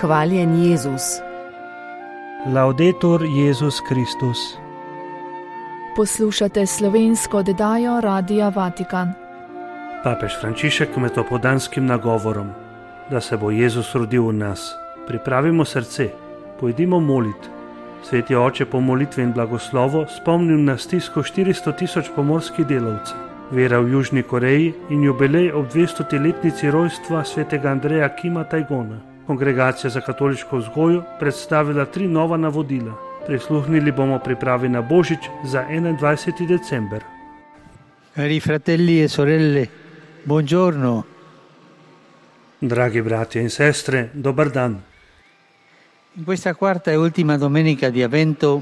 Hvaljen Jezus. Laudetur Jezus Kristus. Poslušate slovensko oddajo Radia Vatikan. Papež Frančišek med opoldanskim nagovorom, da se bo Jezus rodil v nas. Pripravimo srce, pojdimo molit. Sveti oče po molitvi in blagoslovu spomnil na stisko 400 000 pomorskih delavcev. Vera v Južni Koreji in jubilej ob 200-letnici rojstva svetega Andreja Kima Tajgona. Kongregacija za katoliško vzgojo predstavila 3 nova navodila. Prisluhnili bomo pripravi na Božič za 21. december. Cari fratelli e sorelle, buongiorno. Dragi bratje in sestre, dober dan. In questa quarta e ultima domenica di Avvento,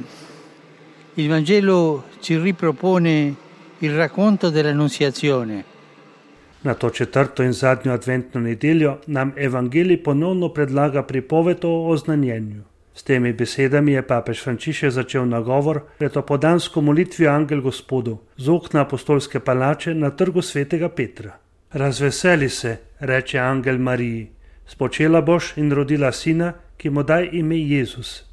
il Vangelo ci ripropone il racconto dell'Annunziazione. Na to četrto in zadnjo adventno nedeljo nam Evangelij ponovno predlaga pripoved o oznanjenju. S temi besedami je papež Frančišek začel nagovor pred opoldansko molitvijo Angel Gospodov z okna apostolske palače na trgu svetega Petra. Razveseli se, reče angel Mariji, spočela boš in rodila sina, ki mu daj ime Jezus.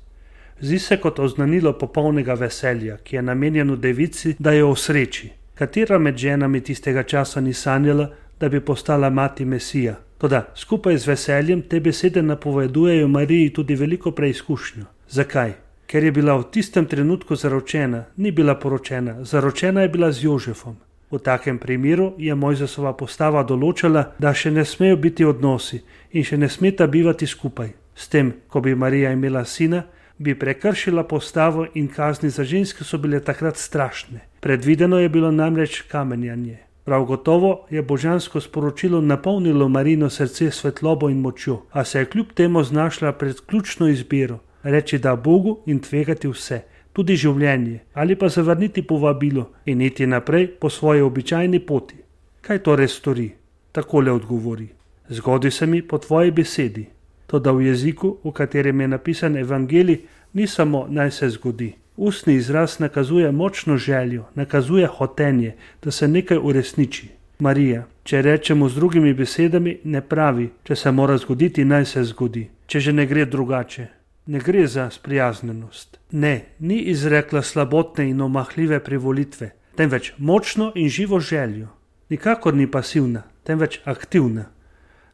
Zdi se kot oznanilo popolnega veselja, ki je namenjeno devici, da jo osreči. Katera med ženami tistega časa ni sanjala, da bi postala mati Mesija? Toda skupaj z veseljem te besede napovedujejo Mariji tudi veliko preizkušnjo. Zakaj? Ker je bila v tistem trenutku zaročena, ni bila poročena, zaročena je bila z Jožefom. V takem primeru je Mojzesova postava določala, da še ne smejo biti odnosi in še ne smeta bivati skupaj. S tem, ko bi Marija imela sina, bi prekršila postavo in kazni za ženske so bile takrat strašne. Predvideno je bilo namreč kamenjanje. Prav gotovo je božansko sporočilo napolnilo Marijino srce svetlobo in močjo, a se je kljub temu znašla pred ključno izbiro, reči da Bogu in tvegati vse, tudi življenje, ali pa zavrniti povabilo in iti naprej po svoji običajni poti. Kaj torej stori? Takole odgovori: zgodi se mi po tvoji besedi. Toda v jeziku, v katerem je napisan Evangelij, ni samo naj se zgodi. Ustni izraz nakazuje močno željo, nakazuje hotenje, da se nekaj uresniči. Marija, če rečemo z drugimi besedami, ne pravi, če se mora zgoditi, naj se zgodi, če že ne gre drugače. Ne gre za sprijaznjenost. Ne, ni izrekla slabotne in omahljive privolitve, temveč močno in živo željo. Nikakor ni pasivna, temveč aktivna.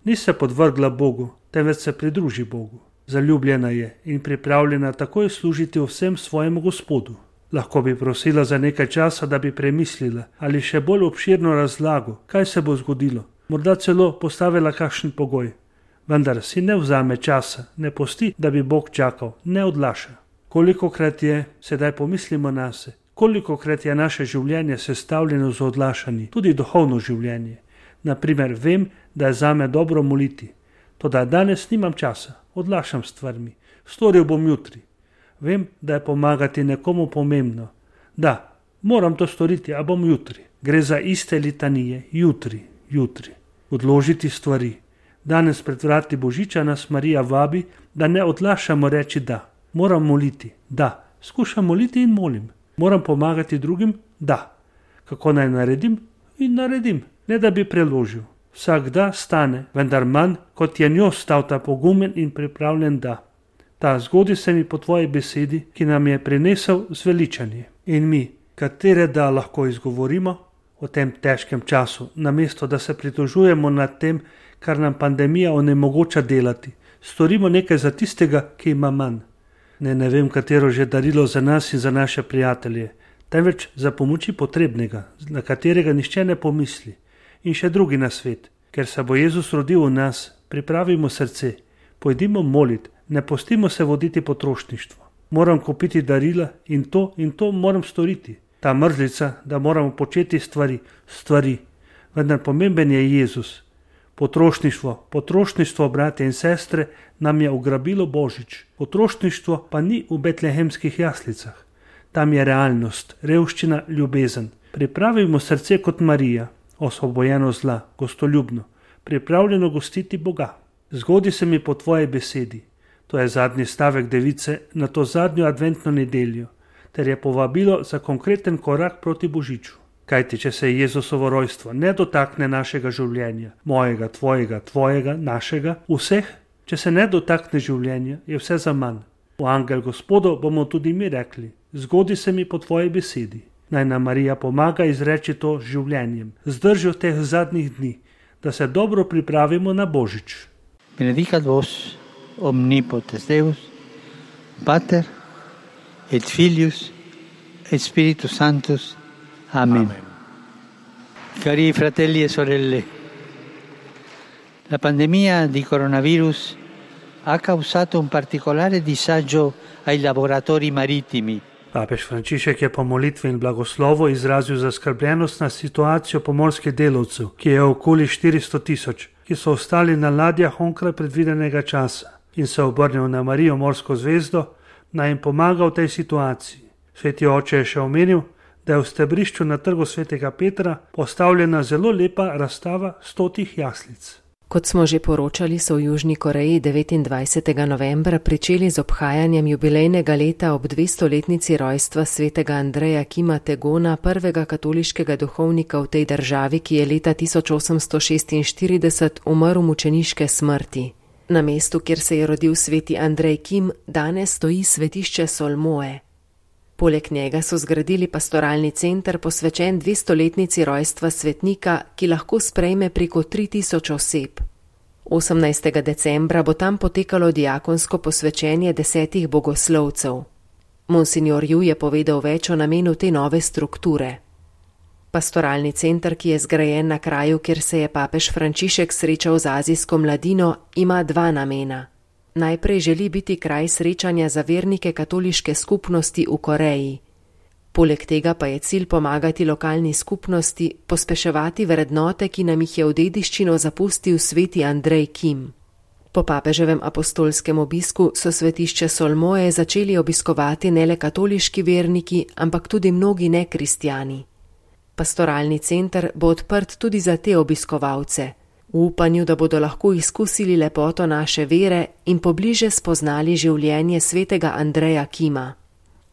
Ni se podvrgla Bogu, temveč se pridruži Bogu. Zaljubljena je in pripravljena takoj služiti vsem svojemu Gospodu. Lahko bi prosila za nekaj časa, da bi premislila ali še bolj obširno razlago, kaj se bo zgodilo. Morda celo postavila kakšen pogoj. Vendar si ne vzame časa, ne pusti, da bi Bog čakal, ne odlaša. Kolikokrat je, sedaj pomislimo nase, kolikokrat je naše življenje sestavljeno z odlašanji, tudi duhovno življenje. Naprimer, vem, da je zame dobro moliti. Toda danes nimam časa, odlašam stvarmi, storil bom jutri. Vem, da je pomagati nekomu pomembno. Da, moram to storiti, a bom jutri. Gre za iste litanije, jutri. Odložiti stvari. Danes pred vrati Božiča nas Marija vabi, da ne odlašamo reči da. Moram moliti, da. Skušam moliti in molim. Moram pomagati drugim, da. Kako naj naredim? In naredim, ne da bi preložil. Vsak da stane, vendar manj, kot je njo stal ta pogumen in pripravljen da. Ta zgodi se mi po tvoji besedi, ki nam je prinesel zveličanje. In mi, katere da lahko izgovorimo o tem težkem času, namesto da se pritožujemo nad tem, kar nam pandemija onemogoča delati. Storimo nekaj za tistega, ki ima manj. Ne vem, katero že darilo za nas in za naše prijatelje, temveč za pomoči potrebnega, na katerega nihče ne pomisli. In še drugi nasvet, ker se bo Jezus rodil v nas, pripravimo srce, pojdimo molit, ne pustimo se voditi potrošništvo. Moram kupiti darila in to moram storiti. Ta mrzlica, da moramo početi stvari, vendar pomemben je Jezus. Potrošništvo, bratje in sestre, nam je ugrabilo Božič. Potrošništvo pa ni v betlehemskih jaslicah. Tam je realnost, revščina, ljubezen. Pripravimo srce kot Marija, osvobojeno zla, gostoljubno, pripravljeno gostiti Boga. Zgodi se mi po tvoji besedi. To je zadnji stavek device na to zadnjo adventno nedeljo, ter je povabilo za konkreten korak proti Božiču. Kajti, če se Jezusovo rojstvo ne dotakne našega življenja, mojega, tvojega, našega, vseh, Če se ne dotakne življenja, je vse zaman. V angel Gospodu bomo tudi mi rekli: zgodi se mi po tvoji besedi. Naj nam Marija pomaga izreči to z življenjem, z držjo teh zadnjih dni, da se dobro pripravimo na Božič. Benedicat vos omnipotens Deus, Pater et Filius et Spiritus Sanctus. Amen. Cari fratelli e sorelle, la pandemia di coronavirus ha causato un particolare disagio ai lavoratori marittimi. Papež Frančišek je po molitvi in blagoslovu izrazil zaskrbljenost na situacijo pomorskih delavcev, ki je okoli 400 000, ki so ostali na ladjah onkraj predvidenega časa, in se obrnil na Marijo Morsko zvezdo, naj jim pomaga v tej situaciji. Sveti oče je še omenil, da je v stebrišču na trgu svetega Petra postavljena zelo lepa razstava 100 jaslic. Kot smo že poročali, so v Južni Koreji 29. novembra pričeli z obhajanjem jubilejnega leta ob 200-letnici rojstva svetega Andreja Kima Tegona, prvega katoliškega duhovnika v tej državi, ki je leta 1846 umrl mučeniške smrti. Na mestu, kjer se je rodil sveti Andrej Kim, danes stoji svetišče Solmoe. Poleg njega so zgradili pastoralni center posvečen 200-letnici rojstva svetnika, ki lahko sprejme preko 3000 oseb. 18. decembra bo tam potekalo diakonsko posvečenje 10 bogoslovcev. Monsignor Ju je povedal več o namenu te nove strukture. Pastoralni center, ki je zgrajen na kraju, kjer se je papež Frančišek srečal z azijsko mladino, ima dva namena. Najprej želi biti kraj srečanja za vernike katoliške skupnosti v Koreji. Poleg tega pa je cilj pomagati lokalni skupnosti, pospeševati vrednote, ki nam jih je v dediščino zapustil sveti Andrej Kim. Po papeževem apostolskem obisku so svetišče Solmoe začeli obiskovati ne le katoliški verniki, ampak tudi mnogi nekristjani. Pastoralni center bo odprt tudi za te obiskovalce, v upanju, da bodo lahko izkusili lepoto naše vere in pobliže spoznali življenje svetega Andreja Kima.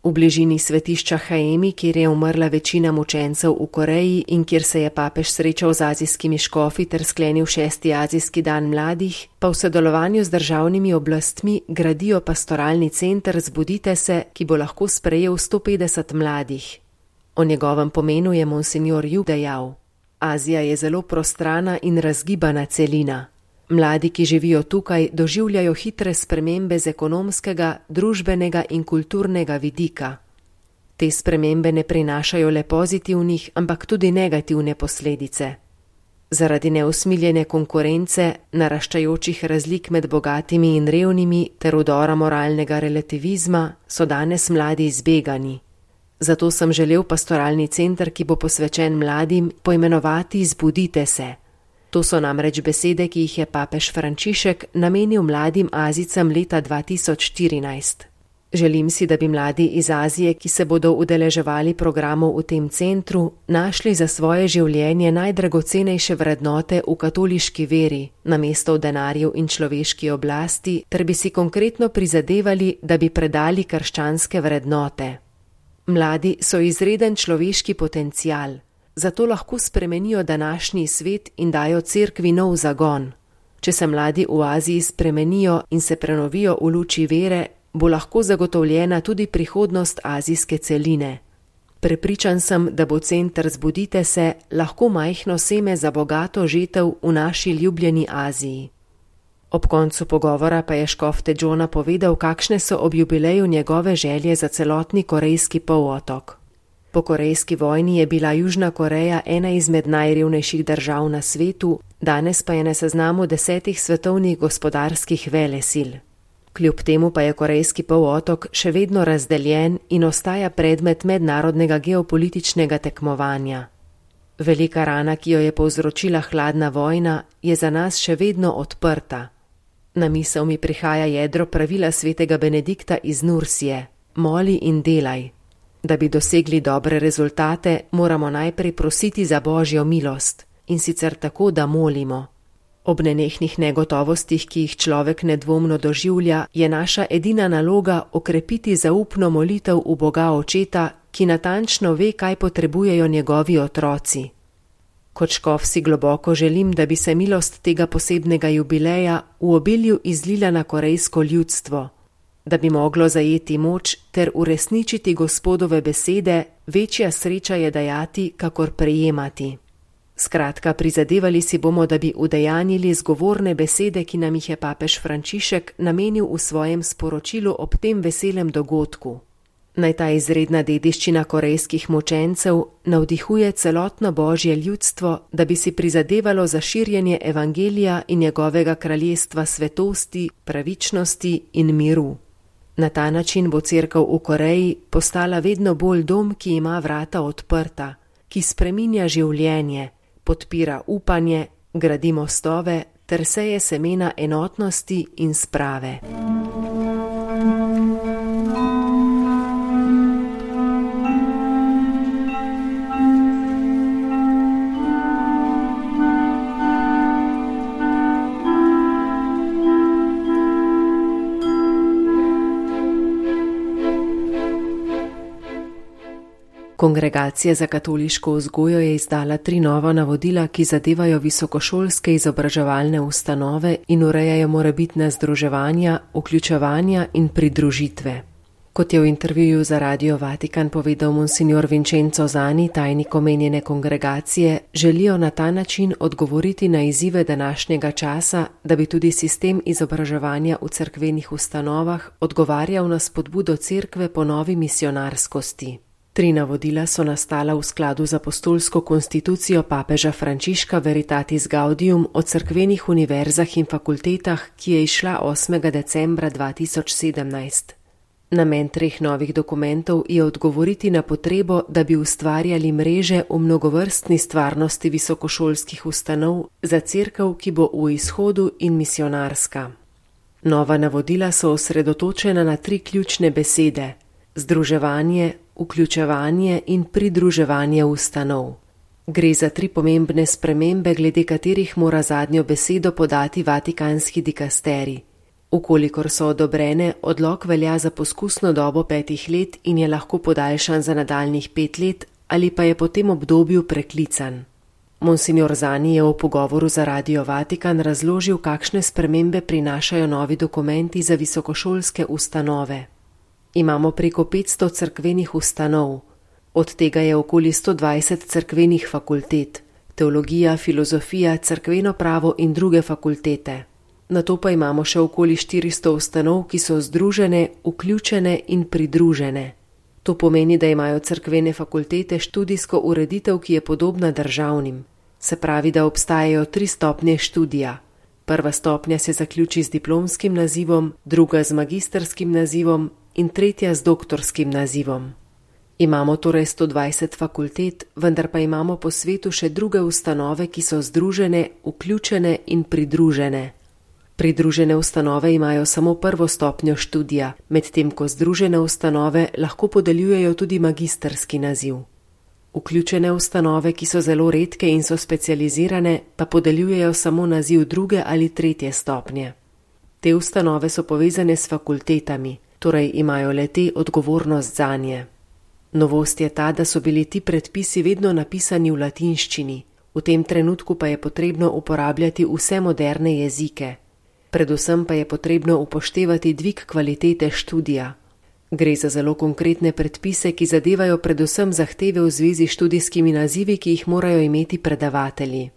V bližini svetišča Haemi, kjer je umrla večina mučencev v Koreji in kjer se je papež srečal z azijskimi škofi ter sklenil 6. azijski dan mladih, pa v sodelovanju z državnimi oblastmi gradijo pastoralni center Zbudite se, ki bo lahko sprejel 150 mladih. O njegovem pomenu je monsignor Ju dejal: Azija je zelo prostrana in razgibana celina. Mladi, ki živijo tukaj, doživljajo hitre spremembe z ekonomskega, družbenega in kulturnega vidika. Te spremembe ne prinašajo le pozitivnih, ampak tudi negativne posledice. Zaradi neusmiljene konkurence, naraščajočih razlik med bogatimi in revnimi ter vdora moralnega relativizma so danes mladi izbegani. Zato sem želel pastoralni center, ki bo posvečen mladim, poimenovati Zbudite se. To so namreč besede, ki jih je papež Frančišek namenil mladim Azijcem leta 2014. Želim si, da bi mladi iz Azije, ki se bodo udeleževali programov v tem centru, našli za svoje življenje najdragocenejše vrednote v katoliški veri, namesto v denarju in človeški oblasti, ter bi si konkretno prizadevali, da bi predali krščanske vrednote. Mladi so izreden človeški potencial, zato lahko spremenijo današnji svet in dajo cerkvi nov zagon. Če se mladi v Aziji spremenijo in se prenovijo v luči vere, bo lahko zagotovljena tudi prihodnost azijske celine. Prepričan sem, da bo center Zbudite se lahko majhno seme za bogato žetev v naši ljubljeni Aziji. Ob koncu pogovora pa je škof Tejona povedal, kakšne so ob jubileju njegove želje za celotni korejski polotok. Po korejski vojni je bila Južna Koreja ena izmed najrevnejših držav na svetu, danes pa je na seznamu 10 svetovnih gospodarskih velesil. Kljub temu pa je korejski polotok še vedno razdeljen in ostaja predmet mednarodnega geopolitičnega tekmovanja. Velika rana, ki jo je povzročila hladna vojna, je za nas še vedno odprta. Na misel mi prihaja jedro pravila svetega Benedikta iz Nursije: moli in delaj. Da bi dosegli dobre rezultate, moramo najprej prositi za Božjo milost, in sicer tako, da molimo. Ob nenehnih negotovostih, ki jih človek nedvomno doživlja, je naša edina naloga okrepiti zaupno molitev v Boga Očeta, ki natančno ve, kaj potrebujejo njegovi otroci. Kot škof si globoko želim, da bi se milost tega posebnega jubileja v obilju izlila na korejsko ljudstvo, da bi moglo zajeti moč ter uresničiti Gospodove besede, večja sreča je dajati, kakor prejemati. Skratka, prizadevali si bomo, da bi udejanjili zgovorne besede, ki nam jih je papež Frančišek namenil v svojem sporočilu ob tem veselem dogodku. Naj ta izredna dediščina korejskih mučencev navdihuje celotno Božje ljudstvo, da bi si prizadevalo za širjenje evangelija in njegovega kraljestva svetosti, pravičnosti in miru. Na ta način bo cerkev v Koreji postala vedno bolj dom, ki ima vrata odprta, ki spreminja življenje, podpira upanje, gradi mostove ter seje semena enotnosti in sprave. Kongregacija za katoliško vzgojo je izdala 3 nova navodila, ki zadevajo visokošolske izobraževalne ustanove in urejajo morebitna združevanja, vključevanja in pridružitve. Kot je v intervjuju za Radio Vatikan povedal monsignor Vincenzo Zani, tajnik omenjene kongregacije, želijo na ta način odgovoriti na izzive današnjega časa, da bi tudi sistem izobraževanja v cerkvenih ustanovah odgovarjal na spodbudo cerkve po novi misionarskosti. 3 navodila so nastala v skladu z apostolsko konstitucijo papeža Frančiška Veritatis Gaudium o cerkvenih univerzah in fakultetah, ki je izšla 8. decembra 2017. Namen 3 novih dokumentov je odgovoriti na potrebo, da bi ustvarjali mreže v mnogovrstni stvarnosti visokošolskih ustanov za cerkev, ki bo v izhodu in misionarska. Nova navodila so osredotočena na 3 ključne besede: združevanje, vključevanje in pridruževanje ustanov. Gre za 3 pomembne spremembe, glede katerih mora zadnjo besedo podati vatikanski dikasterij. Ukolikor so odobrene, odlok velja za poskusno dobo 5 let in je lahko podaljšan za nadaljnjih 5 let ali pa je po tem obdobju preklican. Monsignor Zani je v pogovoru za Radio Vatikan razložil, kakšne spremembe prinašajo novi dokumenti za visokošolske ustanove. Imamo preko 500 cerkvenih ustanov, od tega je okoli 120 cerkvenih fakultet, teologija, filozofija, cerkveno pravo in druge fakultete. Nato pa imamo še okoli 400 ustanov, ki so združene, vključene in pridružene. To pomeni, da imajo cerkvene fakultete študijsko ureditev, ki je podobna državnim. Se pravi, da obstajajo 3 stopnje študija. Prva stopnja se zaključi z diplomskim nazivom, druga z magisterskim nazivom in tretja z doktorskim nazivom. Imamo torej 120 fakultet, vendar pa imamo po svetu še druge ustanove, ki so združene, vključene in pridružene. Pridružene ustanove imajo samo prvo stopnjo študija, medtem ko združene ustanove lahko podeljujejo tudi magisterski naziv. Vključene ustanove, ki so zelo redke in so specializirane, pa podeljujejo samo naziv 2. ali 3. stopnje. Te ustanove so povezane s fakultetami, torej imajo le-te odgovornost zanje. Novost je ta, da so bili ti predpisi vedno napisani v latinščini, v tem trenutku pa je potrebno uporabljati vse moderne jezike. Predvsem pa je potrebno upoštevati dvig kvalitete študija. Gre za zelo konkretne predpise, ki zadevajo predvsem zahteve v zvezi s študijskimi nazivi, ki jih morajo imeti predavatelji.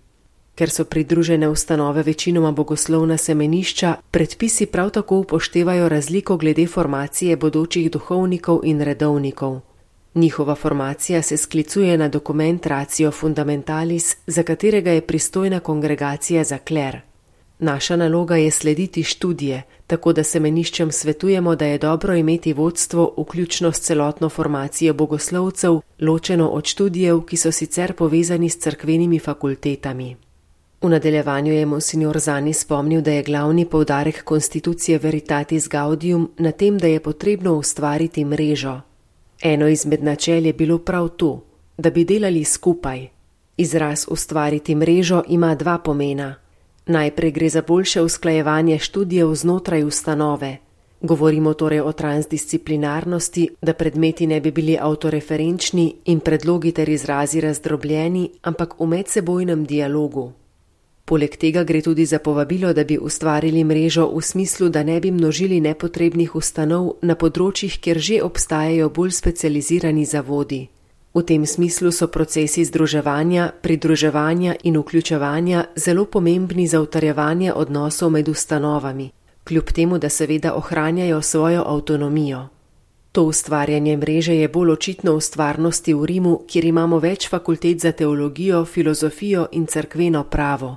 Ker so pridružene ustanove večinoma bogoslovna semenišča, predpisi prav tako upoštevajo razliko glede formacije bodočih duhovnikov in redovnikov. Njihova formacija se sklicuje na dokument Ratio Fundamentalis, za katerega je pristojna kongregacija za kler. Naša naloga je slediti študije, tako da semeniščem svetujemo, da je dobro imeti vodstvo, vključno s celotno formacijo bogoslovcev, ločeno od študijev, ki so sicer povezani s cerkvenimi fakultetami. V nadaljevanju je monsignor Zani spomnil, da je glavni poudarek konstitucije Veritatis Gaudium na tem, da je potrebno ustvariti mrežo. Eno izmed načel je bilo prav to, da bi delali skupaj. Izraz ustvariti mrežo ima 2 pomena. Najprej gre za boljše usklajevanje študijev znotraj ustanove. Govorimo torej o transdisciplinarnosti, da predmeti ne bi bili avtoreferenčni in predlogi ter izrazi razdrobljeni, ampak v medsebojnem dialogu. Poleg tega gre tudi za povabilo, da bi ustvarili mrežo v smislu, da ne bi množili nepotrebnih ustanov na področjih, kjer že obstajajo bolj specializirani zavodi. V tem smislu so procesi združevanja, pridruževanja in vključevanja zelo pomembni za utrjevanje odnosov med ustanovami, kljub temu, da seveda ohranjajo svojo avtonomijo. To ustvarjanje mreže je bolj očitno v stvarnosti v Rimu, kjer imamo več fakultet za teologijo, filozofijo in cerkveno pravo.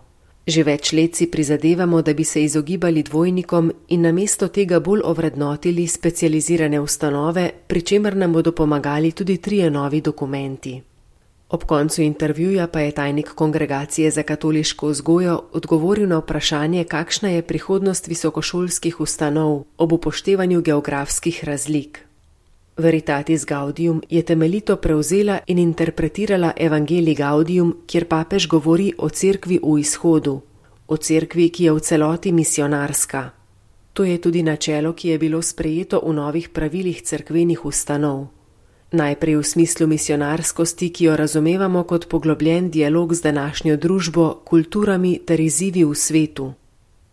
Že več let si prizadevamo, da bi se izogibali dvojnikom in namesto tega bolj ovrednotili specializirane ustanove, pri čemer nam bodo pomagali tudi 3 novi dokumenti. Ob koncu intervjuja pa je tajnik Kongregacije za katoliško vzgojo odgovoril na vprašanje, kakšna je prihodnost visokošolskih ustanov ob upoštevanju geografskih razlik. Veritatis Gaudium je temeljito prevzela in interpretirala Evangelii Gaudium, kjer papež govori o cerkvi v izhodu, o cerkvi, ki je v celoti misionarska. To je tudi načelo, ki je bilo sprejeto v novih pravilih cerkvenih ustanov. Najprej v smislu misionarskosti, ki jo razumevamo kot poglobljen dialog z današnjo družbo, kulturami ter izzivi v svetu.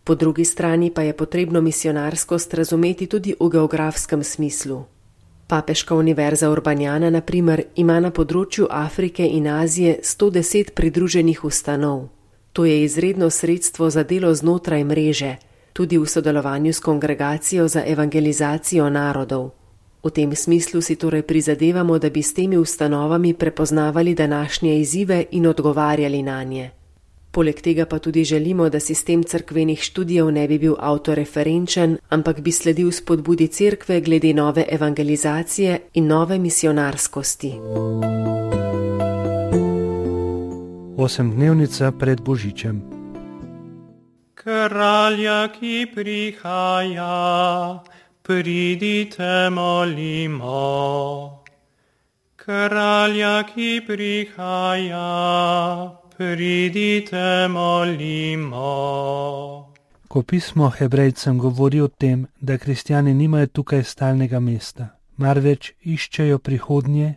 Po drugi strani pa je potrebno misionarskost razumeti tudi v geografskem smislu. Papeška univerza Urbanjana, na primer, ima na področju Afrike in Azije 110 pridruženih ustanov. To je izredno sredstvo za delo znotraj mreže, tudi v sodelovanju s Kongregacijo za evangelizacijo narodov. V tem smislu si torej prizadevamo, da bi s temi ustanovami prepoznavali današnje izzive in odgovarjali nanje. Poleg tega pa tudi želimo, da sistem cerkvenih študijev ne bi bil avtoreferenčen, ampak bi sledil spodbudi cerkve glede nove evangelizacije in nove misionarskosti. 8-dnevnica pred Božičem. Kralja, ki prihaja, pridite molimo. Kralja, ki prihaja, pridite molimo. Ko pismo Hebrejcem govori o tem, da kristjani nimajo tukaj stalnega mesta, marveč iščejo prihodnje,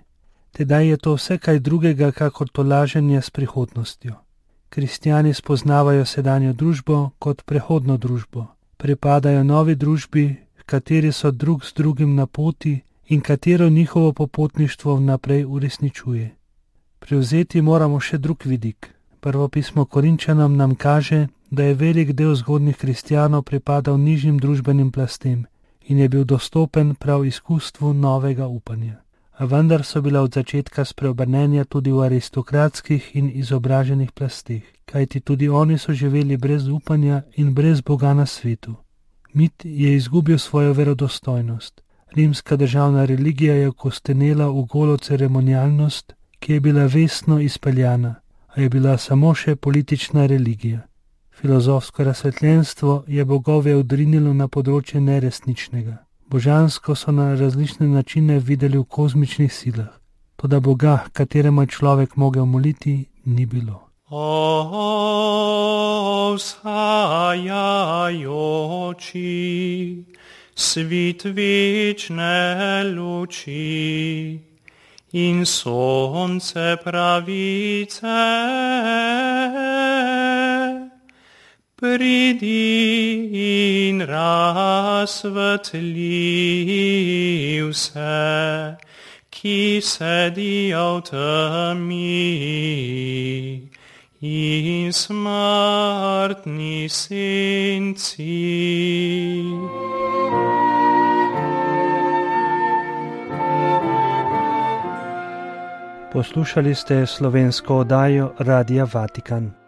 tedaj je to vse kaj drugega kakor tolaženje s prihodnostjo. Kristjani spoznavajo sedanjo družbo kot prehodno družbo, pripadajo novi družbi, v kateri so drug z drugim na poti in katero njihovo popotništvo vnaprej uresničuje. Prevzeti moramo še drug vidik. Prvo pismo Korinčanom nam kaže, da je velik del zgodnjih kristjanov pripadal nižjim družbenim plastem in je bil dostopen prav izkustvu novega upanja. A vendar so bila od začetka spreobrnenja tudi v aristokratskih in izobraženih plasteh, kajti tudi oni so živeli brez upanja in brez Boga na svetu. Mit je izgubil svojo verodostojnost. Rimska državna religija je kostenela v golo ceremonialnost, ki je bila vestno izpeljana, a je bila samo še politična religija. Filozofsko razsvetljenstvo je bogove odrinilo na področje neresničnega. Božansko so na različne načine videli v kozmičnih silah, toda Boga, kateremu je človek mogel moliti, ni bilo. O vzhajajoči, svit večne luči in sonce pravice, pridi in razsvetli vse, ki sedijo v temi in smrtni senci. Poslušali ste slovensko oddajo Radia Vatikan.